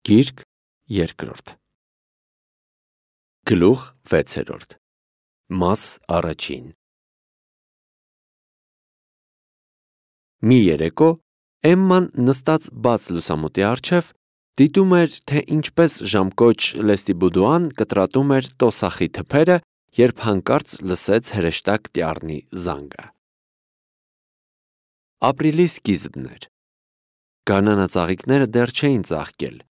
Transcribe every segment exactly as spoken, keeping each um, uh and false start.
Գիրք երկրորդ Գլուխ վեցերորդ Մաս առաջին Մի երեկո Էմման նստած բաց լուսամուտի առջև դիտում էր, թե ինչպես ժամկոչ Լեստիբուդուան կտրատում էր տոսախի թփերը, երբ հանկարծ լսեց հրեշտակ տյառնի զանգը։ Ապրիլի սկիզբն էր։ Գարնանածաղիկները դեռ չէին ծաղկել։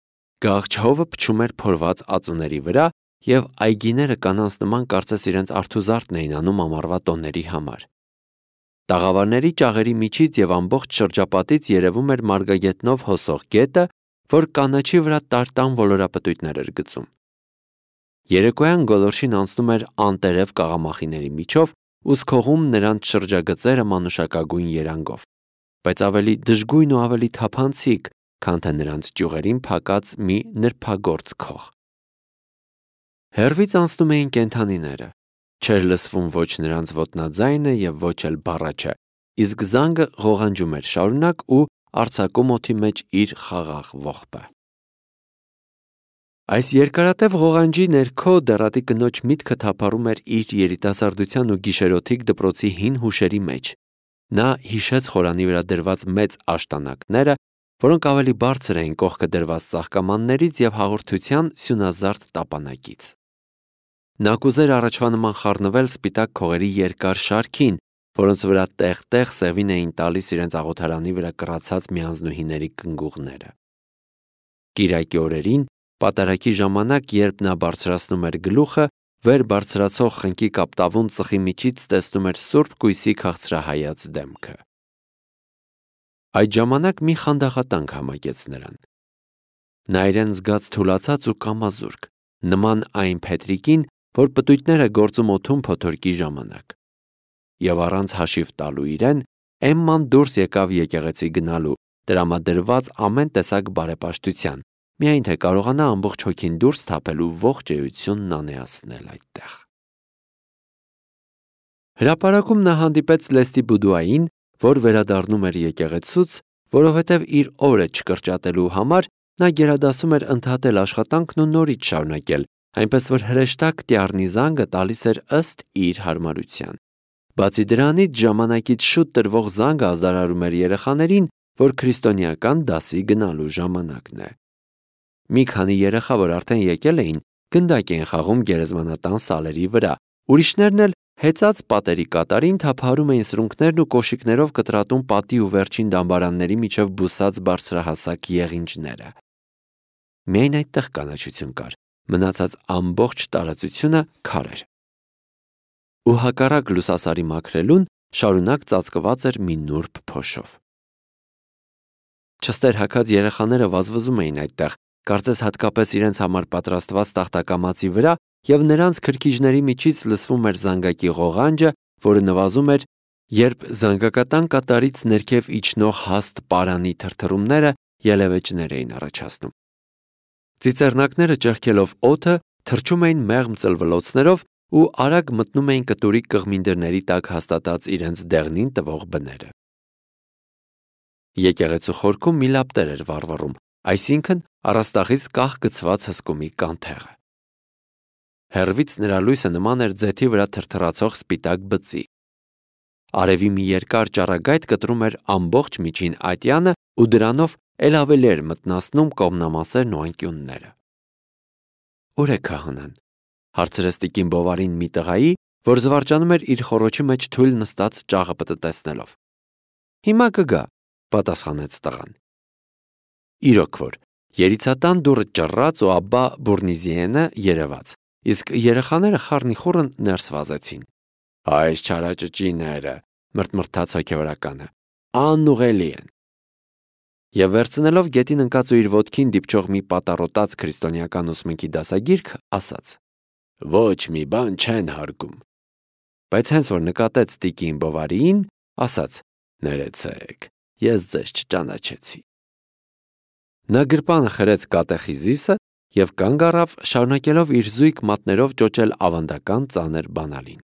Գաղջ հովը փչում էր փորված ածուների վրա, և այգիները կանանց նման կարծես իրենց արթուզարդն էին անում ամառվա տոների համար։ Տաղավարների ճաղերի միջից և ամբողջ շրջապատից երևում էր մարգագետնով հոսող գետը, որ կանաչի վրա տարտան ոլորապտույտներ էր գցում։ Երեկոյան գոլորշին անցնում էր անտերև կաղամախիների միջով ու սքողում նրանց շրջագծերը մանուշակագույն երանգով, բայց ավելի դժգույն ու ավելի թափանցիկ, քան թե նրանց ճյուղերին փակած մի նրբագործ քող։ Հեռվից անցնում էին կենդանիները, չէր լսվում ոչ նրանց ոտնաձայնը և ոչ էլ բառաչը, իսկ զանգը ղողանջում էր շարունակ ու արձակում օդի մեջ իր խաղաղ ողբը։ Այս երկարատև ղողանջի ներքո դեռատի կնոջ միտքը թափառում էր իր երիտասարդության ու գիշերօթիկ դպրոցի հին հուշերի մեջ։ Նա հիշեց խորանի վրա դրված մեծ աշտանակները, որոնք ավելի բարձր էին կողքը դրված ծաղկամաններից և հաղորդության սյունազարդ տապանակից։ Նա կուզեր առաջվա նման խառնվել սպիտակ քողերի երկար շարքին, որոնց վրա տեղ-տեղ սևին էին տալիս իրենց աղոթարանի վրա կռացած միանձնուհիների կնգուղները։ Կիրակի օրերին, պատարագի ժամանակ, երբ նա բարձրացնում էր գլուխը, վեր բարձրացող խնկի կապտավուն ծխի միջից տեսնում էր սուրբ կույսի քաղցրահայաց դեմքը։ Այդ ժամանակ մի խանդաղատանք համակեց նրան։ Նա իրեն զգաց թուլացած ու կամազուրկ, նման այն փետրիկին, որ պտույտները գործում օդում փոթորկի ժամանակ։ Եվ առանց հաշիվ տալու իրեն, Էմման դուրս եկավ եկեղեցի գնալու, տրամադրված ամեն տեսակ բարեպաշտության, միայն թե կարողանա ամբողջ հոգին դուրս թափել ու ողջ էությունն անեացնել այդտեղ։ Հրապարակում նա հանդիպեց Լեստիբուդուային, որ վերադառնում էր եկեղեցուց, որովհետև իր օրը չկրճատելու համար նա գերադասում էր ընդհատել աշխատանքն ու նորից շարունակել, այնպես որ հրեշտակ տյառնի զանգը տալիս էր ըստ իր հարմարության։ Բացի դրանից, ժամանակից շուտ տրվող զանգը ազդարարում էր երեխաներին, որ քրիստոնեական դասի գնալու ժամանակն է։ Մի քանի երեխա, որ արդեն եկել էին, գնդակ էին խաղում գերեզմանատան սալերի վրա, ուրիշներն էլ հեծած պատերի կատարին թափահարում էին սրունքներն ու կոշիկներով կտրատում պատի ու վերջին դամբարանների միջև բուսած բարձրահասակ եղինջները։ Միայն այդտեղ կանաչություն կար, մնացած ամբողջ տարածությունը քար էր։ Ու հակառակ լուսասարի մաքրելուն շարունակ ծածկված էր մի նուրբ փոշով։ Չստեր հագած երեխաները վազվզում էին այդտեղ, կարծես հատկապես իրենց համար պատրաստված տախտակամածի վրա, և նրանց քրքիջների միջից լսվում էր զանգակի ղողանջը, որը նվազում էր, երբ զանգակատան կատարից ներքև իջնող հաստ պարանի թրթռումները ելևէջներ էին առաջացնում։ Ծիծեռնակները ճեղքելով օդը, թռչում էին մեղմ ծլվլոցներով ու արագ մտնում էին կտուրի կղմինդրների տակ հաստատած իրենց դեղնին տվող բները։ Եկեղեցու խորքում մի լապտեր էր վառվռում, այսինքն առաստաղից կախ գցված հսկումի կանթեղը։ Հեռվից նրա լույսը նման էր ձեթի վրա թրթռացող սպիտակ բծի։ Արևի մի երկար ճառագայթ կտրում էր ամբողջ միջին ատյանը ու դրանով էլ ավելի էր մթնացնում կողմնամասերն ու անկյունները։ Ո՞ւր է քահանան, հարցրեց տիկին Բովարին մի տղայի, որ զվարճանում էր իր խոռոչի մեջ թույլ նստած ճաղը պտտեցնելով։ Հիմա կգա, պատասխանեց տղան։ Իրոք որ, երիցատան դուռը ճռռաց ու Աբբա Բուրնիզիենը երևաց, իսկ երեխաները խառնիխուռն ներս վազեցին։ Այս չարաճճիները, մրթմրթաց հոգևորականը, անուղելի են։ Եվ վերցնելով գետին ընկած ու իր ոտքին դիպչող մի պատառոտած քրիստոնեական ուսմունքի դասագիրք, ասաց. Ոչ մի բան չեն հարգում։ Բայց հենց որ նկատեց տիկին Բովարիին, ասաց. Ներեցեք, ես ձեզ չճանաչեցի։ Նա գրպանը խրեց կատեխիզիսը և կանգ առավ, շարունակելով իր զույգ մատներով ճոճել ավանդական ծանր բանալին։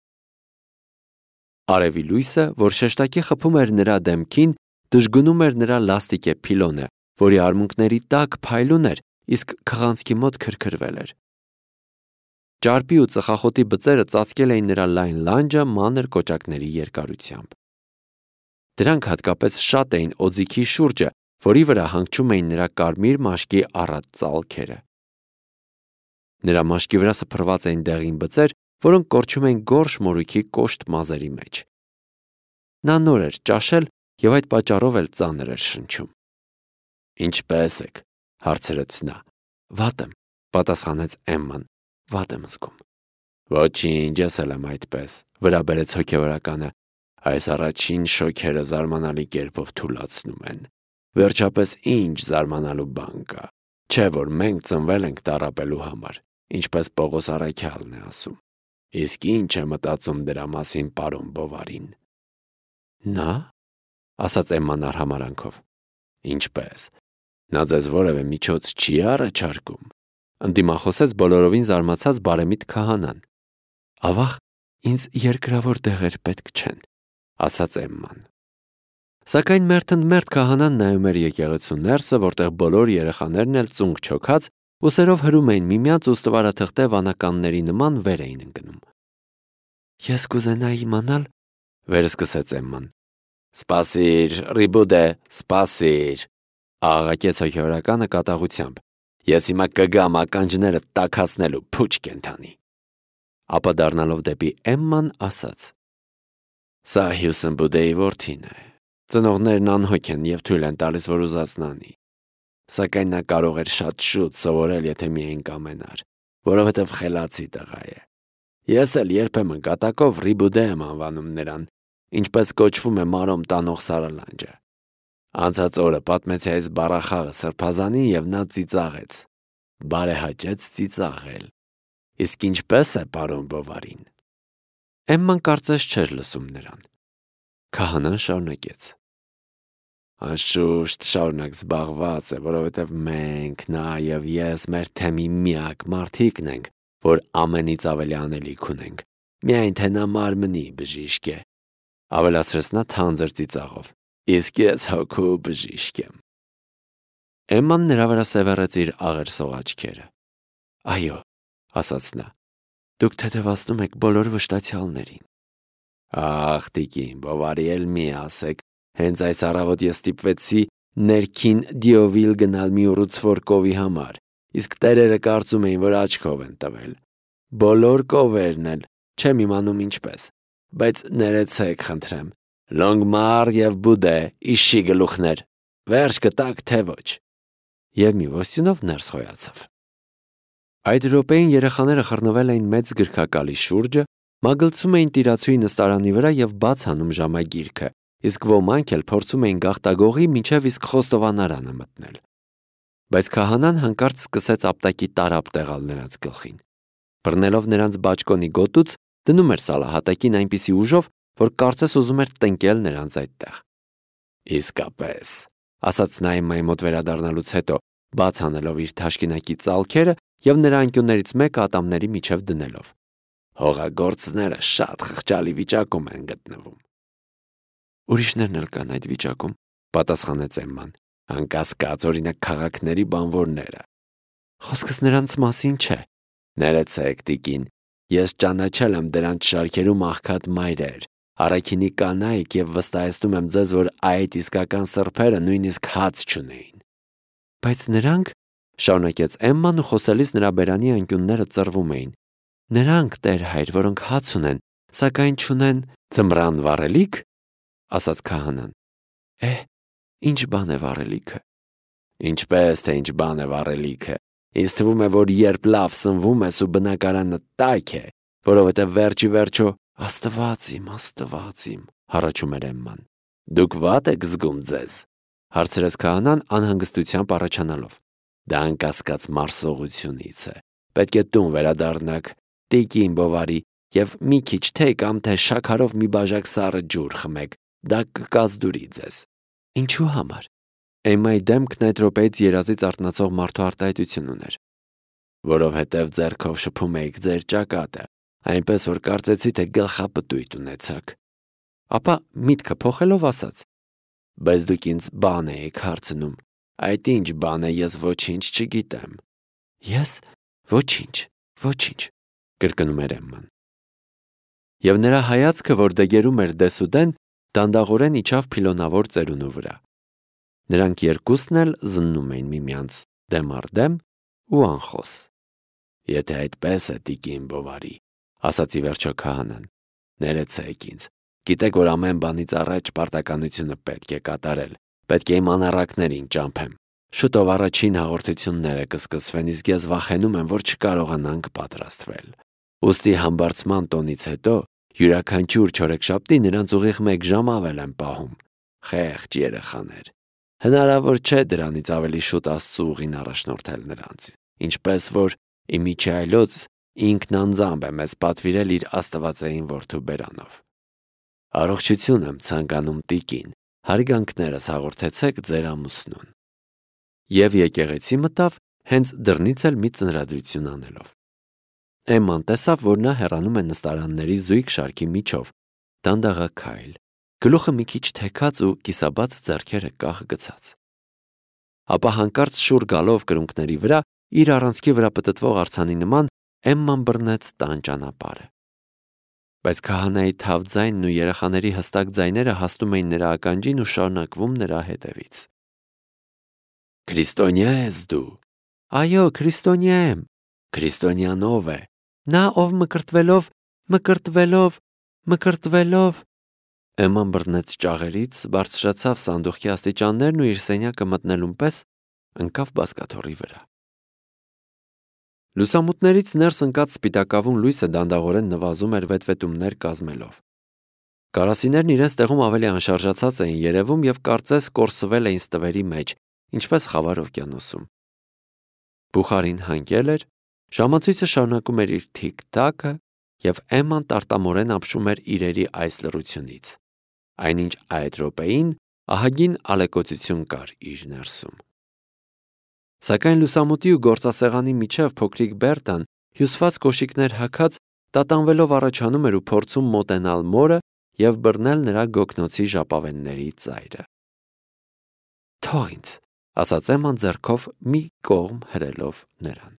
Արևի լույսը, որ շեշտակի խփում էր նրա դեմքին, դժգնում էր նրա լաստիկե փիլոնը, որի արմունկների տակ փայլուն էր իսկ քղանցքի մոտ քրքրվել էր։ Ճարպի ու ծխախոտի բծերը ծածկել էին նրա լայն լանջը մանր կոճակների երկարությամբ։ Դրանք հատկապես շատ էին օձիքի շուրջը, որի վրա հանգչում էին նրա կարմիր մաշկի առատ ծալքերը։ Նրա մաշկի վրա սփռված էին դեղին բծեր, որոնք կորչում էին գորշ մորուքի կոշտ մազերի մեջ։ Նա նոր էր ճաշել և այդ պատճառով էլ ծանր էր շնչում։ «Ինչպե՞ս եք», հարցրեց նա։ «Վատ եմ», պատասխանեց Էմման, «վատ եմ զգում»։ «Ոչինչ, ես էլ եմ այդպես», վրա բերեց հոգևորականը։ «Այս առաջին շոքերը զարմանալի կերպով թուլացնում են։ Վերջապես ինչ զարմանալու բան կա։ Չէ՞ որ մենք ծնվել ենք տառապելու համար, ինչպես Պողոս առաքյալն է ասում։ Իսկ ինչ է մտածում դրա մասին պարոն Բովարին»։ «Նա», ասաց Էմման արհամարհանքով։ «Ինչպես։ Նա ձեզ որևէ միջոց չի առաջարկում», ընդդիմախոսեց բոլորովին զարմացած բարեմիտ քահանան։ «Ավաղ, ինձ երկրավոր դեղեր պետք չեն», ասաց Էմման։ Սակայն մերթընդմերթ քահանան նայում էր եկեղեցու ներսը, որտեղ բոլոր երեխաներն էլ ծունկ չոքած ուսերով հրում էին միմյանց ու ստվարաթղթե վանականների նման վեր էին ընկնում։ «Ես կուզենայի իմանալ», վերսկսեց Էմման։ «Սպասիր, Ռիբուդե, սպասիր», աղաղակեց հոգևորականը կատաղությամբ։ «Ես հիմա կգամ ականջները տաքացնելու, փուչ կենդանի»։ Ապա դառնալով դեպի Էմման ասաց. «Սա Հյուսեն Բուդեի որդին է։ Ծնողներն անհոգ են և թույլ են տալիս, որ ուզածն անի։ Սակայն նա կարող էր շատ շուտ սովորել, եթե միայն կամենար, որովհետև խելացի տղա է։ Ես էլ երբեմն կատակով Ռիբուդե եմ անվանում նրան, ինչպես կոչվում է մարոմ տանող Սարալանջը։ Անցած օրը պատմեցի այս բառախաղը սրբազանին և նա ծիծաղեց։ Բարեհաճեց ծիծաղել։ Իսկ ինչպե՞ս է պարոն Բովարին»։ Էմման կարծես չէր լսում նրան։ Քահանան շարունակեց. «Անշուշտ շարունակ զբաղված է, որովհետև մենք, նա և ես մեր թեմի միակ մարդիկն ենք, որ ամենից ավելի անելիք ունենք, միայն թե նա մարմնի բժիշկ է», ավելացրեց նա թանձր ծիծաղով։ «Իսկ ես հոգու բժիշկ եմ»։ Էմման նրա վրա սևեռեց իր աղերսող աչքերը։ «Այո», ասաց նա, «դուք թեթևացնում եք բոլոր վշտացյալներին»։ «Ախ, տիկին Բովարի, էլ մի ասեք, հենց այս առավոտ ես ստիպվեցի ներքին Դիովիլ գնալ մի ուռուցվոր կովի համար, իսկ տերերը կարծում էին, որ աչքով են տվել։ Բոլոր կովերն էլ, չեմ իմանում ինչպես, բայց ներեցեք խնդրեմ, Լոնգմար և Բուդե, իշի գլուխներ, վերջ կտակ թե ոչ»։ Եվ մի ոստյունով ներս խոյացավ։ Այդ րոպեին երեխաները խռնվել էին մեծ գրքակալի շուրջը, մագլցում էին տիրացուի նստարանի վրա և բաց հանում ժամագիրքը, իսկ ոմանք էլ փորձում էին գաղտագողի մինչև իսկ խոստովանարանը մտնել։ Բայց քահանան հանկարծ սկսեց ապտակի տարափ տեղալ նրանց գլխին։ Բռնելով նրանց բաճկոնի գոտուց, դնում էր սալահատակին այնպիսի ուժով, որ կարծես ուզում էր տնկել նրանց այդտեղ։ «Իսկապես», ասաց նա Էմմայի մոտ վերադառնալուց հետո, բաց անելով իր թաշկինակի ծալքերը և նրա անկյուններից մեկը ատամների միջև դնելով, «հողագործները շատ խղճալի վիճակում են գտնվում»։ «Ուրիշներն էլ կան այդ վիճակում», պատասխանեց Էմման, «անկասկած, օրինակ քաղաքների բանվորները»։ «Խոսքս նրանց մասին չէ»։ «Ներեցեք, տիկին, ես ճանաչել եմ դրանց շարքերում աղքատ մայրեր, առաքինի կանայք և վստահեցնում եմ ձեզ, որ այդ իսկական սրբերը նույնիսկ հաց չունեին»։ «Բայց նրանք», շարունակեց Էմման ու խոսելիս նրա բերանի անկյունները ծռվում էին, «նրանք, Տեր հայր, որոնք հաց ունեն, սակայն չունեն ձմռան վառելիք», ասաց քահանան։ «Է, ինչ բան է վառելիքը»։ «Ինչպես թե ինչ բան է վառելիքը։ Ինձ թվում է, որ երբ լավ սնվում ես ու բնակարանը տաք է, որովհետև վերջի վերջո Աստված իմ, Աստված իմ, հառաչում էր Էմման։ Դուք վատ եք զգում ձեզ, հարցրեց քահանան անհանգստությամբ առաջանալով։ Դա անկասկած մարսողությունից է։ Պետք է տուն վերադառնաք, տիկին Բովարի, և մի քիչ թե կամ թե շաքարով մի բաժակ սառը ջուր խմեք, դա կկազդուրի ձեզ։ Ինչու համար։ Էմմայի դեմքն այդ րոպեից երազից արթնացող մարդու արտահայտություն ուներ։ Որովհետև ձեռքով շփում էիք ձեր ճակատը, այնպես որ կարծեցի, թե գլխապտույտ ունեցաք։ Ապա միտքը փոխելով ասաց. Բայց դուք ինձ բան էիք հարցնում, Այդ ինչ բան է, ես ոչինչ չգիտեմ։ Ես ոչինչ, ոչինչ, կրկնում էր Էմման։ Եվ նրա հայացքը, որ դեգերում էր դեսուդեն, դանդաղորեն իջավ փիլոնավոր ծերունու վրա։ Նրանք երկուսն էլ զննում էին միմյանց դեմ առ դեմ ու անխոս։ Եթե այդպես է, տիկին Բովարի, ասաց ի վերջո քահանան, ներեցեք ինձ։ Գիտեք, որ ամեն բանից առաջ պարտականությունը պետք է կատարել, պետք է իմ անառակներին ճամփեմ։ Շուտով առաջին հաղորդությունները կսկսվեն, իսկ ես վախենում եմ, որ չկարողանանք պատրաստվել։ Ուստի համբարձման տոնից հետո յուրաքանչյուր չորեքշաբթի նրանց ուղիղ մեկ ժամ ավել եմ պահում։ Խեղճ երեխաներ։ Հնարավոր չէ դրանից ավելի շուտ Աստծու ուղին առաջնորդել նրանց, ինչպես որ Իմիջայլոց ինքն անձամբ է մեզ պատվիրել իր աստվածային որդու բերանով։ Առողջություն եմ ցանկանում տիկին, հարգանքներս հաղորդեցեք ձեր ամուսնուն։ Եվ եկեղեցի մտավ հենց դռնից էլ մի ծնրադրություն անելով։ Էմման տեսավ, որ նա հեռանում է նստարանների զույգ շարքի միջով, դանդաղաքայլ, գլուխը մի քիչ թեքած ու կիսաբաց ձեռքերը կախ գցած։ Ապա հանկարծ շուռ գալով կրունկների վրա, իր առանցքի վրա պտտվող արձանի նման, Էմման բռնեց տան ճանապարհը։ Բայց քահանայի թավ ձայնն ու երեխաների հստակ ձայները հասնում էին նրա ականջին ու շարունակվում նրա հետևից։ Քրիստոնյա ես դու։ Այո, քրիստոնյա եմ։ Քրիստոնյան ով է։ Նա ով մկրտվելով, մկրտվելով, մկրտվելով։ Էմման բռնեց ճաղերից, բարձրացավ սանդուղքի աստիճաններն ու իր սենյակը մտնելուն պես ընկավ բազկաթոռի վրա։ Լուսամուտներից ներս ընկած սպիտակավուն լույսը դանդաղորեն նվազում էր վետվետումներ կազմելով։ Կարասիներն իրենց տեղում ավելի անշարժացած էին երևում և կարծես կորսվել էին ստվերի մեջ, ինչպես խավար օվկիանոսում։ Բուխարին հանգել էր, ժամացույցը շարունակում էր իր թիք-թաքը, և Էմման տարտամորեն ապշում էր իրերի այս լռությունից, այնինչ այդ րոպեին ահագին ալեկոծություն կար իր ներսում։ Սակայն լուսամուտի ու գործասեղանի միջև փոքրիկ Բերտան, հյուսված կոշիկներ հագած, տատանվելով առաջանում էր ու փորձում մոտենալ մորը և բռնել նրա գոգնոցի ժապավենների ծայրը։ Թող ինձ, ասաց Էմման ձեռքով մի կողմ հրելով նրան։